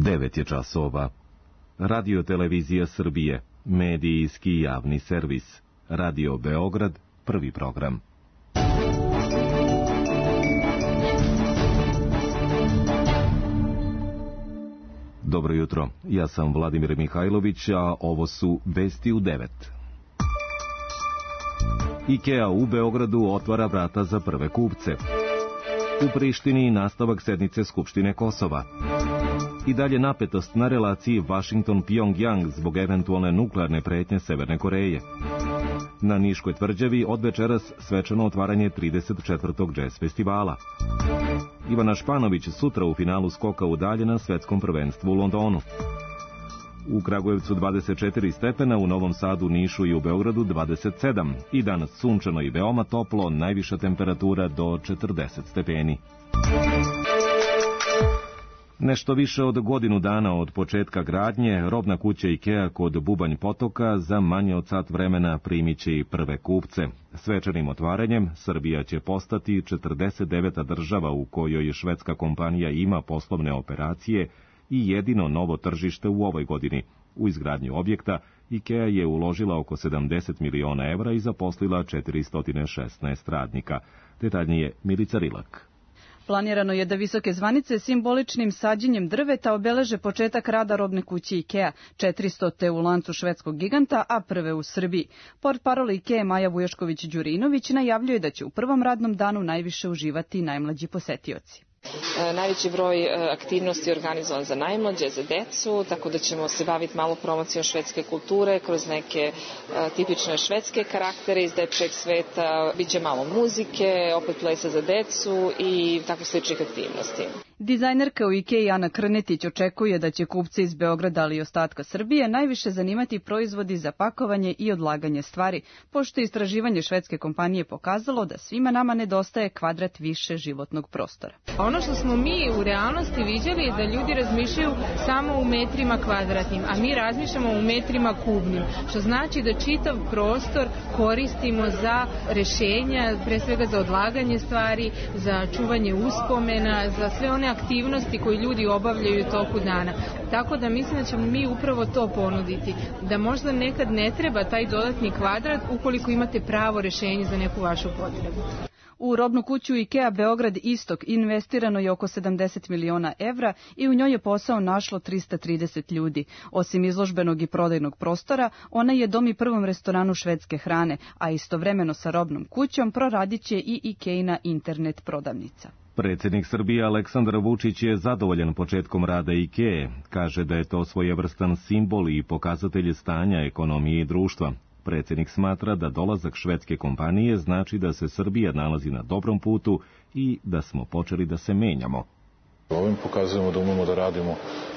9 je časova. Radio Televizija Srbije, medijski javni servis. Radio Beograd, prvi program. Dobro jutro, ja sam Vladimir Mihajlović, a ovo su vesti u 9. IKEA u Beogradu otvara vrata za prve kupce. U Prištini nastavak sednice Skupštine Kosova. I dalje napetost na relaciji Washington-Pyongyang zbog eventualne nuklearne pretnje Severne Koreje. Na Niškoj tvrđavi od večeras svečano otvaranje 34. džez festivala. Ivana Španović sutra u finalu skoka u dalje na svetskom prvenstvu u Londonu. U Kragujevcu 24 stepena, u Novom Sadu, Nišu i u Beogradu 27. I danas sunčano i veoma toplo, najviša temperatura do 40 stepeni. Nešto više od godinu dana od početka gradnje, robna kuća IKEA kod Bubanj Potoka za manje od sat vremena primit će i prve kupce. Svečanim otvaranjem Srbija će postati 49. država u kojoj švedska kompanija ima poslovne operacije i jedino novo tržište u ovoj godini. U izgradnju objekta IKEA je uložila oko 70 miliona evra i zaposlila 416 radnika. Detaljnije Milica Rilak. Planirano je da visoke zvanice simboličnim sađenjem drveta obeleže početak rada robne kuće IKEA, 400. u lancu švedskog giganta, a prve u Srbiji. Portparol IKEA Maja Vujošković-Đurinović najavljuje da će u prvom radnom danu najviše uživati najmlađi posetioci. Najveći broj aktivnosti je organizovan za najmlađe, za decu, tako da ćemo se baviti malo promocijom švedske kulture kroz neke tipične švedske karaktere iz dečijeg sveta. Biće malo muzike, opet plesa za decu i tako sličnih aktivnosti. Dizajnerka u IKEA Ana Krnetić očekuje da će kupce iz Beograda, ali i ostatka Srbije najviše zanimati proizvodi za pakovanje i odlaganje stvari, pošto je istraživanje švedske kompanije pokazalo da svima nama nedostaje kvadrat više životnog prostora. Ono što smo mi u realnosti viđali je da ljudi razmišljaju samo u metrima kvadratnim, a mi razmišljamo u metrima kubnim, što znači da čitav prostor koristimo za rešenja, pre svega za odlaganje stvari, za čuvanje uspomena, za sve one aktivnosti koje ljudi obavljaju u toku dana. Tako da mislim da ćemo mi upravo to ponuditi, da možda nekad ne treba taj dodatni kvadrat ukoliko imate pravo rešenje za neku vašu potrebu. U robnu kuću IKEA Beograd Istok investirano je oko 70 miliona evra i u njoj je posao našlo 330 ljudi. Osim izložbenog i prodajnog prostora, ona je dom i prvom restoranu švedske hrane, a istovremeno sa robnom kućom proradit će i IKEA-ina internet prodavnica. Predsjednik Srbije Aleksandar Vučić je zadovoljan početkom rada IKEA. Kaže da je to svojevrstan simbol i pokazatelj stanja ekonomije i društva. Predsjednik smatra da dolazak švedske kompanije znači da se Srbija nalazi na dobrom putu i da smo počeli da se menjamo. Ovim pokazujemo da umemo da radimo,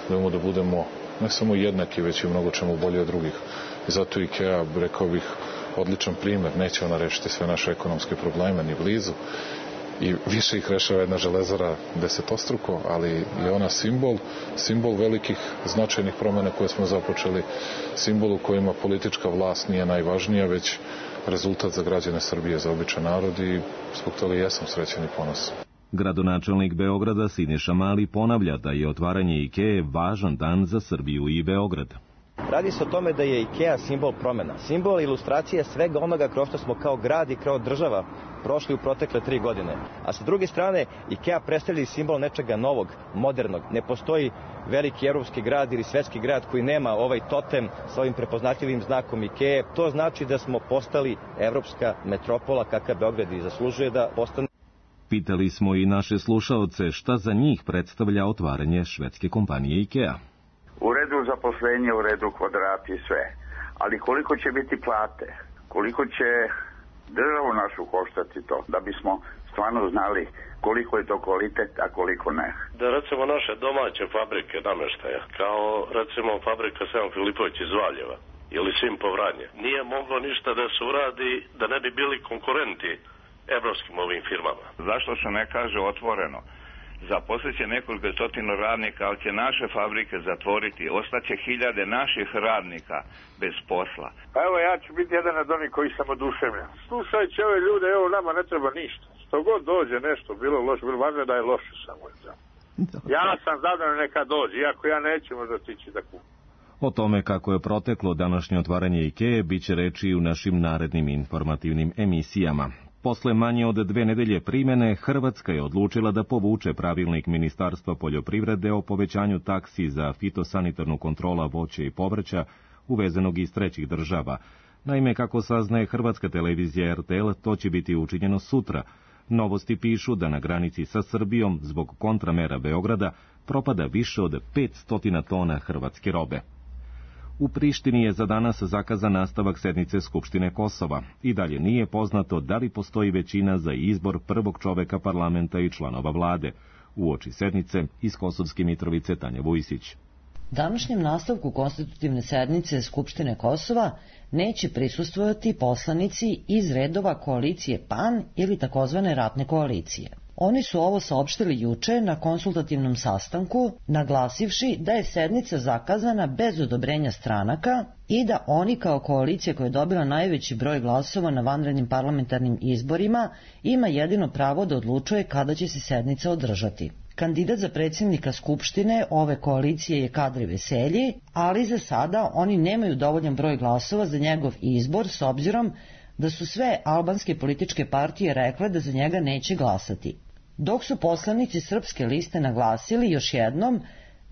da umemo da budemo ne samo jednaki, već i mnogo čemu bolji od drugih. I zato IKEA, rekao bih, odličan primjer. Neće ona rešiti sve naše ekonomske probleme, ni blizu. I više ih rešava jedna železara desetostruko, ali je ona simbol velikih značajnih promjena koje smo započeli, simbol u kojima politička vlast nije najvažnija, već rezultat za građane Srbije, za običan narod i zbog toga jesam srećan i ponosan. Gradonačelnik Beograda Siniša Mali ponavlja da je otvaranje IKEA važan dan za Srbiju i Beograd. Radi se o tome da je IKEA simbol promjena, simbol ilustracije svega onoga kroz što smo kao grad i kao država prošli u protekle 3 godine. A sa druge strane, IKEA predstavlja simbol nečega novog, modernog. Ne postoji veliki evropski grad ili svetski grad koji nema ovaj totem sa ovim prepoznatljivim znakom IKEA. To znači da smo postali evropska metropola kakav Beograd i zaslužuje da postane. Pitali smo i naše slušaoce šta za njih predstavlja otvaranje švedske kompanije IKEA. U redu zaposlenje, u redu kvadrati i sve. Ali koliko će biti plate? Koliko će državu našu koštati to? Da bismo stvarno znali koliko je to kvalitet, a koliko ne. Da recimo naše domaće fabrike namještaja, kao recimo fabrika Sevan Filipović iz Valjeva ili Simpo Vranje, nije moglo ništa da se uradi da ne bi bili konkurenti evropskim ovim firmama. Zašto se ne kaže otvoreno? Zaposlit će nekoliko stotina radnika, ali će naše fabrike zatvoriti. Ostaće hiljade naših radnika bez posla. Pa evo, ja ću biti jedan od onih koji sam oduševljen. Slušajte ove ljude, evo nama ne treba ništa. Što god dođe nešto, bilo loše, bilo važno da je loše samo. Ja sam zadovoljan neka dođe, iako ja neću možda stići da kupim. O tome kako je proteklo današnje otvaranje IKEA bit će reči i u našim narednim informativnim emisijama. Posle manje od 2 nedelje primene, Hrvatska je odlučila da povuče pravilnik Ministarstva poljoprivrede o povećanju taksi za fitosanitarnu kontrola voća i povrća uvezenog iz trećih država. Naime, kako saznaje hrvatska televizija RTL, to će biti učinjeno sutra. Novosti pišu da na granici sa Srbijom, zbog kontramera Beograda, propada više od 500 tona hrvatske robe. U Prištini je za danas zakazan nastavak sednice Skupštine Kosova. I dalje nije poznato da li postoji većina za izbor prvog čoveka parlamenta i članova vlade. Uoči sednice iz Kosovske Mitrovice Tanja Vujsić. Današnjem nastavku konstitutivne sednice Skupštine Kosova neće prisustvovati poslanici iz redova koalicije PAN ili takozvane ratne koalicije. Oni su ovo saopštili juče na konsultativnom sastanku, naglasivši da je sednica zakazana bez odobrenja stranaka i da oni kao koalicija koja je dobila najveći broj glasova na vanrednim parlamentarnim izborima ima jedino pravo da odlučuje kada će se sednica održati. Kandidat za predsjednika Skupštine ove koalicije je Kadri Veselji, ali za sada oni nemaju dovoljan broj glasova za njegov izbor s obzirom da su sve albanske političke partije rekle da za njega neće glasati. Dok su poslanici Srpske liste naglasili još jednom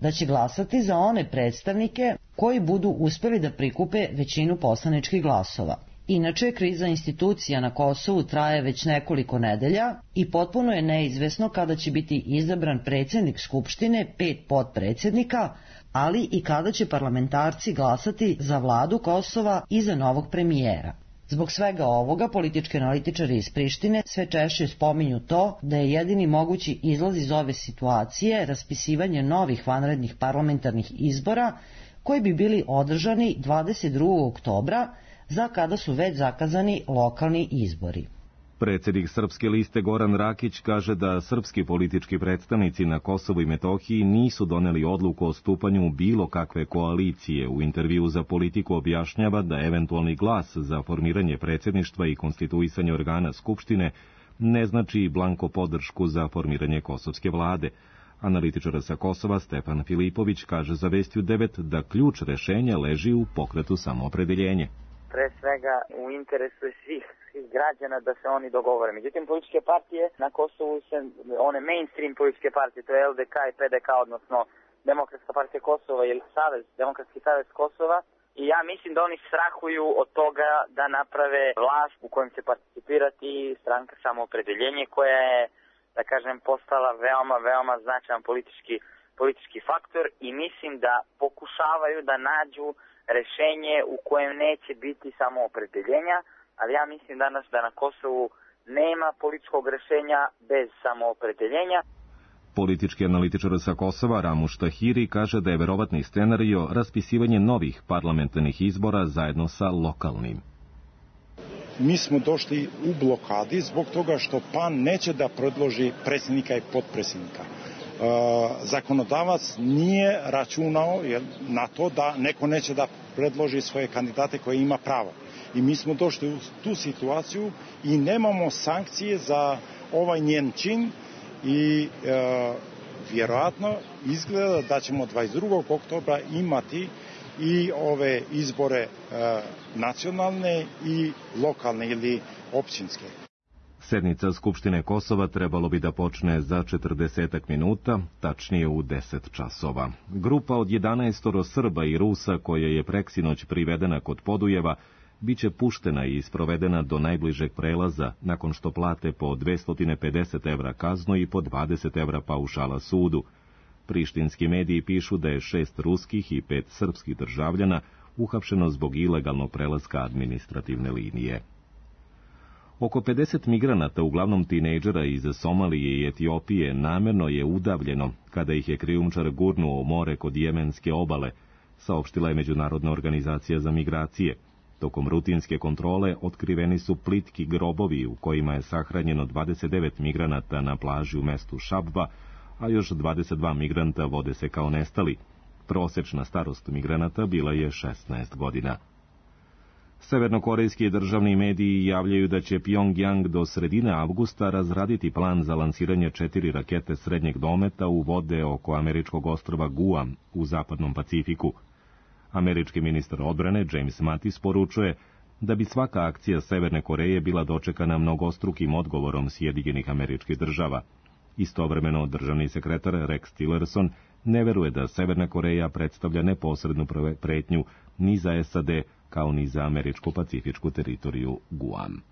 da će glasati za one predstavnike koji budu uspeli da prikupe većinu poslaničkih glasova. Inače, kriza institucija na Kosovu traje već nekoliko nedelja i potpuno je neizvesno kada će biti izabran predsjednik Skupštine, 5 potpredsjednika, ali i kada će parlamentarci glasati za vladu Kosova i za novog premijera. Zbog svega ovoga, politički analitičari iz Prištine sve češće spominju to da je jedini mogući izlaz iz ove situacije raspisivanje novih vanrednih parlamentarnih izbora koji bi bili održani 22. oktobra, za kada su već zakazani lokalni izbori. Predsjednik Srpske liste Goran Rakić kaže da srpski politički predstavnici na Kosovu i Metohiji nisu doneli odluku o stupanju bilo kakve koalicije. U intervju za Politiku objašnjava da eventualni glas za formiranje predsjedništva i konstituisanje organa Skupštine ne znači blanko podršku za formiranje kosovske vlade. Analitičar sa Kosova Stefan Filipović kaže za Vestiju 9 da ključ rešenja leži u pokretu samoopredeljenje. Pre svega u interesu svih građana da se oni dogovore. Međutim, političke partije na Kosovu se, one mainstream političke partije, to je LDK i PDK, odnosno Demokratska partija Kosova ili Demokratski savez Kosova, i ja mislim da oni strahuju od toga da naprave vlast u kojem će participirati stranka samoopredeljenje, koja je, da kažem, postala veoma značajan politički faktor, i mislim da pokušavaju da nađu rešenje u kojem neće biti samo opredeljenja, ali ja mislim danas da na Kosovu nema političkog rešenja bez samoopredeljenja. Politički analitičar sa Kosova Ramuš Tahiri kaže da je verovatni scenario raspisivanje novih parlamentarnih izbora zajedno sa lokalnim. Mi smo došli u blokadi zbog toga što PAN neće da predloži predsjednika i potpredsjednika. Zakonodavac nije računao na to da neko neće da predloži svoje kandidate koje ima pravo. I mi smo došli u tu situaciju i nemamo sankcije za ovaj njen čin i vjerojatno izgleda da ćemo 22. oktobra imati i ove izbore nacionalne i lokalne ili općinske. Sednica Skupštine Kosova trebalo bi da počne za 40 minuta, tačnije u 10 časova. Grupa od 11 Srba i Rusa koja je preksinoć privedena kod Podujeva biće puštena i sprovedena do najbližeg prelaza nakon što plate po 250 evra kaznu i po 20 evra paušala sudu. Prištinski mediji pišu da je 6 ruskih i 5 srpskih državljana uhapšeno zbog ilegalnog prelaska administrativne linije. Oko 50 migranata, uglavnom tinejdžera iz Somalije i Etiopije, namerno je udavljeno kada ih je krijumčar gurnuo u more kod jemenske obale, saopštila je Međunarodna organizacija za migracije. Tokom rutinske kontrole otkriveni su plitki grobovi u kojima je sahranjeno 29 migranata na plaži u mestu Šabva, a još 22 migranta vode se kao nestali. Prosečna starost migranata bila je 16 godina. Severnokorejski državni mediji javljaju da će Pyongyang do sredine avgusta razraditi plan za lansiranje 4 rakete srednjeg dometa u vode oko američkog ostrva Guam u zapadnom Pacifiku. Američki ministar odbrane James Mattis poručuje da bi svaka akcija Severne Koreje bila dočekana mnogostrukim odgovorom Sjedinjenih Američkih Država. Istovremeno, državni sekretar Rex Tillerson ne veruje da Severna Koreja predstavlja neposrednu pretnju ni za SAD, kao ni za američko-pacifičku teritoriju Guam.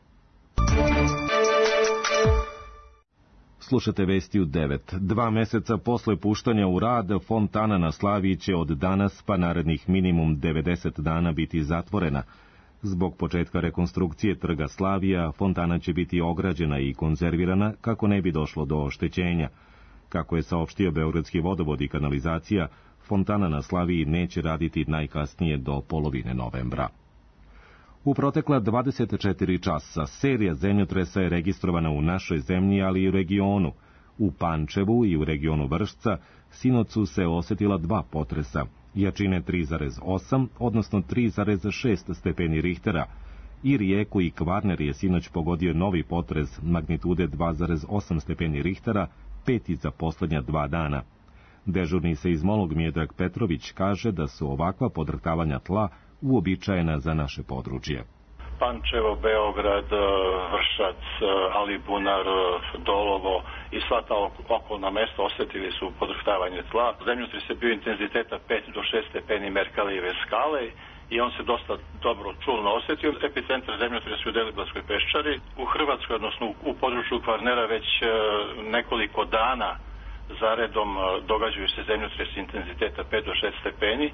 Slušate vesti u 9. 2 meseca posle puštanja u rad, fontana na Slaviji će od danas pa narednih minimum 90 dana biti zatvorena. Zbog početka rekonstrukcije trga Slavija, fontana će biti ograđena i konzervirana kako ne bi došlo do oštećenja. Kako je saopštio Beogradski vodovod i kanalizacija, fontana na Slaviji neće raditi najkasnije do polovine novembra. U protekla 24 časa serija zemljotresa je registrovana u našoj zemlji, ali i u regionu. U Pančevu i u regionu Vršca sinoć su se osetila 2 potresa, jačine 3,8, odnosno 3,6 stepeni Richtera. I Rijeku i Kvarner je sinoć pogodio novi potres magnitude 2,8 stepeni Richtera, 5. za poslednja 2 dana. Dežurni seizmolog Miodrag Petrović kaže da su ovakva podrhtavanja tla uobičajena za naše područje. Pančevo, Beograd, Vršac, Alibunar, Dolovo i sva ta okolna mesta osetili su podrhtavanje tla. Zemljotres je bio intenziteta 5 do 6 stepeni Merkalijeve skale i on se dosta dobro čulno osetio. Epicentar zemljotresa u Deliblatskoj peščari. U Hrvatskoj, odnosno u području Kvarnera, već nekoliko dana zaredom događaju se zemljotresi intenziteta 5 do 6 stepeni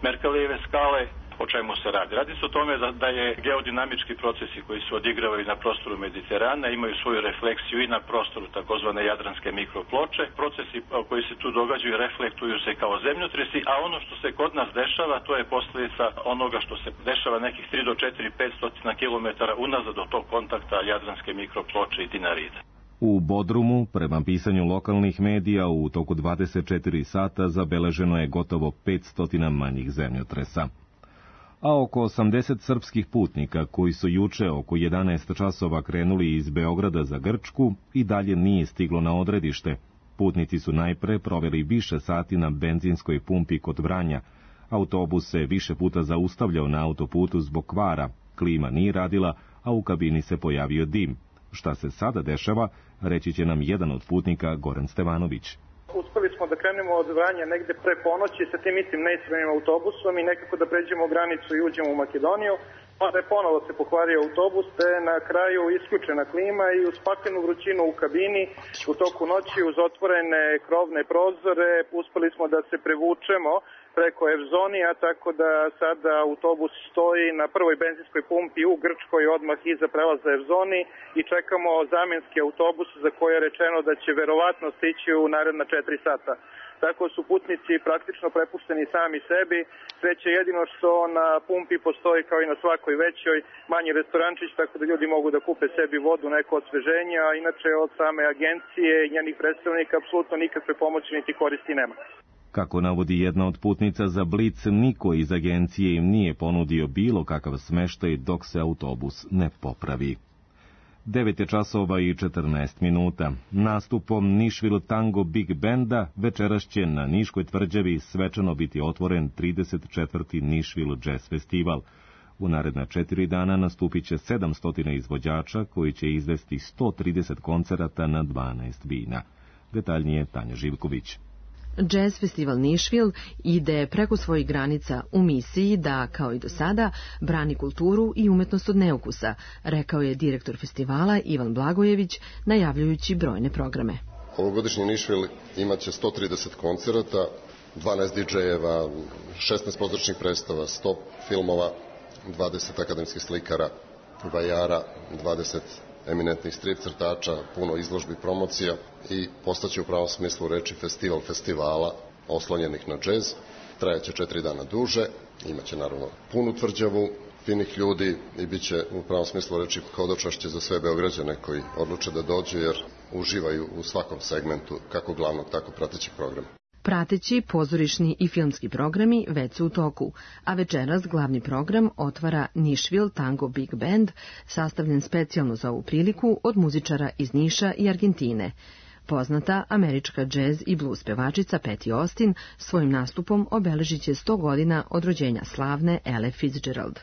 Merkalijeve skale. O čemu se radi? Radi se o tome da je geodinamički procesi koji se odigravaju na prostoru Mediterana imaju svoju refleksiju i na prostoru takozvane jadranske mikroploče. Procesi koji se tu događaju reflektuju se kao zemljotresi, a ono što se kod nas dešava, to je posljedica onoga što se dešava nekih 3 do 4, 500 km unazad do tog kontakta jadranske mikroploče i dinarida. U Bodrumu, prema pisanju lokalnih medija, u toku 24 sata zabeleženo je gotovo 500 manjih zemljotresa. A oko 80 srpskih putnika koji su juče oko 11 časova krenuli iz Beograda za Grčku i dalje nije stiglo na odredište. Putnici su najpre proveli više sati na benzinskoj pumpi kod Vranja. Autobus se više puta zaustavljao na autoputu zbog kvara, klima nije radila, a u kabini se pojavio dim. Šta se sada dešava, reći će nam jedan od putnika, Goran Stevanović. Uspeli smo da krenemo od Vranja negde pre ponoći sa tim istim neispravnim autobusom i nekako da pređemo granicu i uđemo u Makedoniju. Onda je ponovo se pokvario autobus, te na kraju isključena klima i uz paklenu vrućinu u kabini u toku noći uz otvorene krovne prozore uspeli smo da se prevučemo preko Evzonija, tako da sada autobus stoji na prvoj benzinskoj pumpi u Grčkoj odmah iza prelaza Evzoni i čekamo zamenski autobus za koje je rečeno da će verovatno stići u naredna 4 sata. Tako su putnici praktično prepušteni sami sebi. Sreće jedino što na pumpi postoji kao i na svakoj većoj manji restorančić, tako da ljudi mogu da kupe sebi vodu, neko osveženje, a inače od same agencije i njenih predstavnika apsolutno nikakve pomoći niti koristi nema. Kako navodi jedna od putnica za Blic, niko iz agencije im nije ponudio bilo kakav smeštaj dok se autobus ne popravi. 9 časova i 14 minuta. Nastupom Nišvil Tango Big Benda večeras će na Niškoj tvrđavi svečano biti otvoren 34. Nišvil Jazz Festival. U naredna 4 dana nastupit će 700 izvođača koji će izvesti 130 koncerata na 12 bina. Detaljnije Tanja Živković. Jazz festival Nišvil ide preko svojih granica u misiji da, kao i do sada, brani kulturu i umetnost od neukusa, rekao je direktor festivala Ivan Blagojević, najavljujući brojne programe. Ovogodišnji Nišvil imaće 130 koncerata, 12 DJ-eva, 16 pozorišnih predstava, 100 filmova, 20 akademskih slikara, vajara, 20 eminentnih strip crtača, puno izložbi, promocija i postaće u pravom smislu reči festival festivala oslonjenih na džez. Trajaće 4 dana duže, imaće naravno punu tvrđavu, finih ljudi i bit će u pravom smislu reči hodočašće za sve Beograđane koji odluče da dođu jer uživaju u svakom segmentu kako glavnog, tako pratećeg programa. Prateći pozorišni i filmski programi već su u toku, a večeras glavni program otvara Nashville Tango Big Band, sastavljen specijalno za ovu priliku od muzičara iz Niša i Argentine. Poznata američka džez i blues pevačica Patti Austin svojim nastupom obeležit će 100 godina od rođenja slavne Elle Fitzgerald.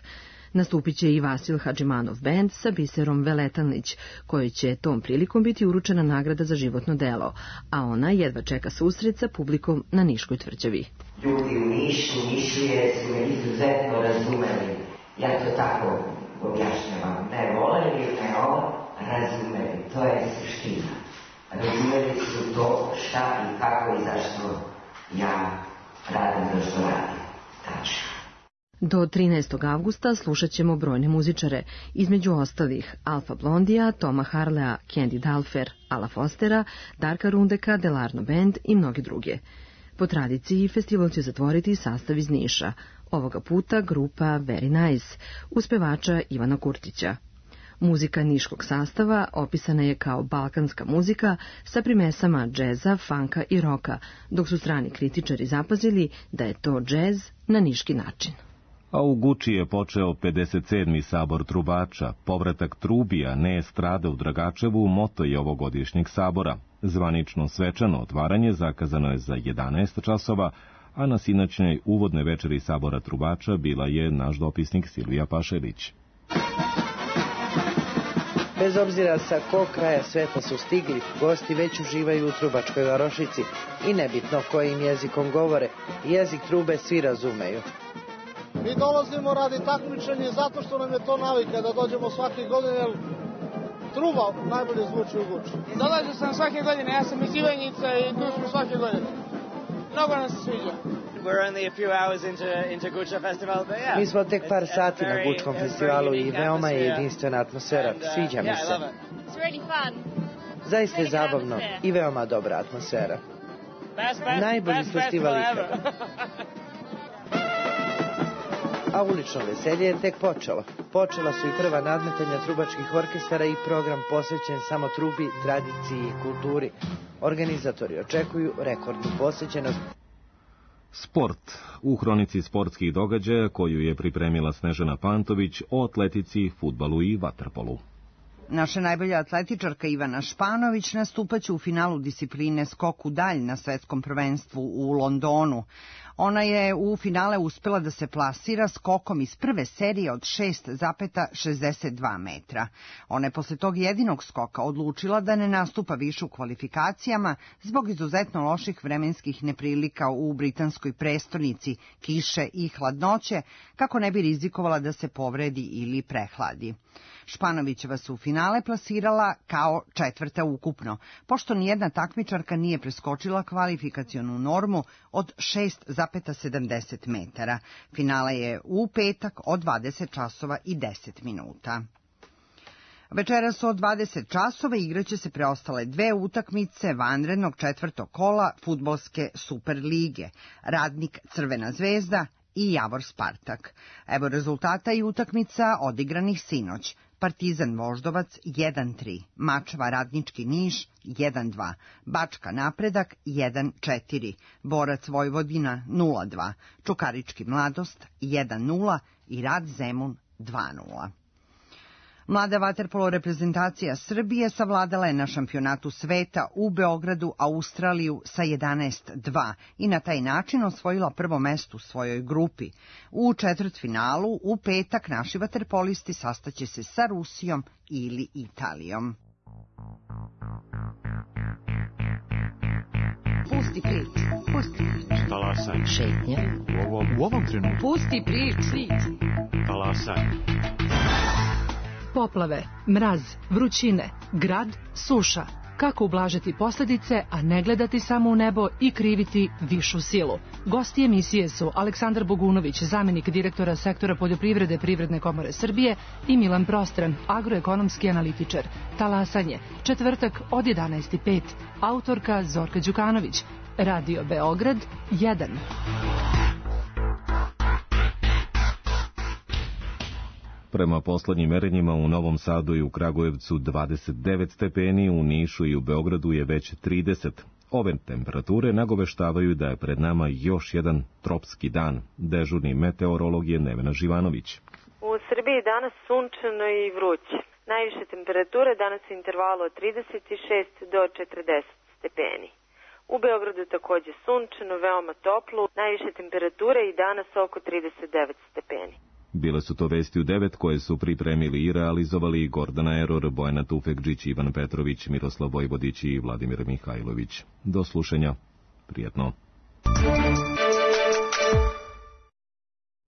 Nastupit će i Vasil Hadžimanov band sa Biserom Veletanlić, kojoj će tom prilikom biti uručena nagrada za životno delo, a ona jedva čeka susret sa publikom na Niškoj tvrđavi. Ljudi u Nišu, Nišlije su me izuzetno razumeli. Ja to tako objašnjavam. Ne voleli, ne razumeli. To je suština. Razumeli su to šta i kako i zašto ja radim to što radim. Tačno. Do 13. avgusta slušat ćemo brojne muzičare, između ostalih Alfa Blondija, Toma Harlea, Candy Dalfer, Ala Fostera, Darka Rundeka, Delarno Band i mnogi druge. Po tradiciji, festival će zatvoriti sastav iz Niša, ovoga puta grupa Very Nice, uz pevača Ivana Kurtića. Muzika niškog sastava opisana je kao balkanska muzika sa primesama džeza, funka i roka, dok su strani kritičari zapazili da je to džez na niški način. A u Guči je počeo 57. sabor trubača. Povratak trubija, ne estrada u Dragačevu, moto je ovogodišnjeg sabora. Zvanično svečano otvaranje zakazano je za 11 časova, a na sinoćnjoj uvodnoj večeri sabora trubača bila je naš dopisnik Silvija Pašević. Bez obzira sa kog kraja sveta su stigli, gosti već uživaju u trubačkoj varošici i nebitno kojim jezikom govore, jezik trube svi razumeju. Mi dolazimo radi takmičenja zato što nam je to navika da dođemo svake godine, jer truba najbolje zvuči u Guči. Dolazio sam svake godine, ja sam iz Ivanjica i tu smo svake godine. Mnogo nam se sviđa. Mi smo tek par sati na Gučkom festivalu i veoma je jedinstvena atmosfera. Sviđa mi se. Zaista je zabavno i veoma dobra atmosfera. Najbolji festival ikada. A ulično veselje je tek počelo. Počela su i prva nadmetanja trubačkih orkestara i program posvećen samo trubi, tradiciji i kulturi. Organizatori očekuju rekordnu posjećenost. Sport. U hronici sportskih događaja koju je pripremila Snežana Pantović o atletici, fudbalu i vaterpolu. Naša najbolja atletičarka Ivana Španović nastupaće u finalu discipline skok u dalj na svetskom prvenstvu u Londonu. Ona je u finale uspela da se plasira skokom iz prve serije od 6,62 metra. Ona je posle tog jedinog skoka odlučila da ne nastupa više u kvalifikacijama zbog izuzetno loših vremenskih neprilika u britanskoj prestonici, kiše i hladnoće, kako ne bi rizikovala da se povredi ili prehladi. Španovićeva se u finale plasirala kao četvrta ukupno, pošto nijedna takmičarka nije preskočila kvalifikacionu normu od 6,70 metara. Finale je u petak od 20 časova i 10 minuta. Večeras od 20 časova igraće se preostale dve utakmice vanrednog četvrtog kola fudbalske Super lige, Radnik Crvena zvezda i Javor Spartak. Evo rezultata i utakmica odigranih sinoć. Partizan Voždovac 1-3, Mačva Radnički Niš 1-2, Bačka Napredak 1-4, Borac Vojvodina 0-2, Čukarički Mladost 1-0 i Rad Zemun 2-0. Mlada vaterpolo reprezentacija Srbije savladala je na šampionatu sveta u Beogradu Australiju sa 11-2 i na taj način osvojila prvo mesto u svojoj grupi. U četvrtfinalu u petak naši vaterpolisti sastaće se sa Rusijom ili Italijom. Pusti priču. Pusti priču. Talasaj. Šetnja. U ovom trenutku. Pusti priču. Talasaj. Poplave, mraz, vrućine, grad, suša. Kako ublažiti posljedice, a ne gledati samo u nebo i kriviti višu silu? Gosti emisije su Aleksandar Bogunović, zamjenik direktora sektora poljoprivrede Privredne komore Srbije, i Milan Prostran, agroekonomski analitičar. Talasanje, četvrtak od 11:05. Autorka Zorka Đukanović. Radio Beograd 1. Prema poslednjim merenjima u Novom Sadu i u Kragujevcu 29 stepeni, u Nišu i u Beogradu je već 30. Ove temperature nagoveštavaju da je pred nama još jedan tropski dan. Dežurni meteorolog je Nevena Živanović. U Srbiji danas sunčano i vruće. Najviše temperature danas u intervalu od 36 do 40 stepeni. U Beogradu takođe sunčano, veoma toplo, najviše temperature i danas oko 39 stepeni. Bile su to vesti u 9 koje su pripremili i realizovali Gordana Eror, Bojana Tufekđić, Ivan Petrović, Miroslav Vojvodić i Vladimir Mihajlović. Do slušanja. Prijetno.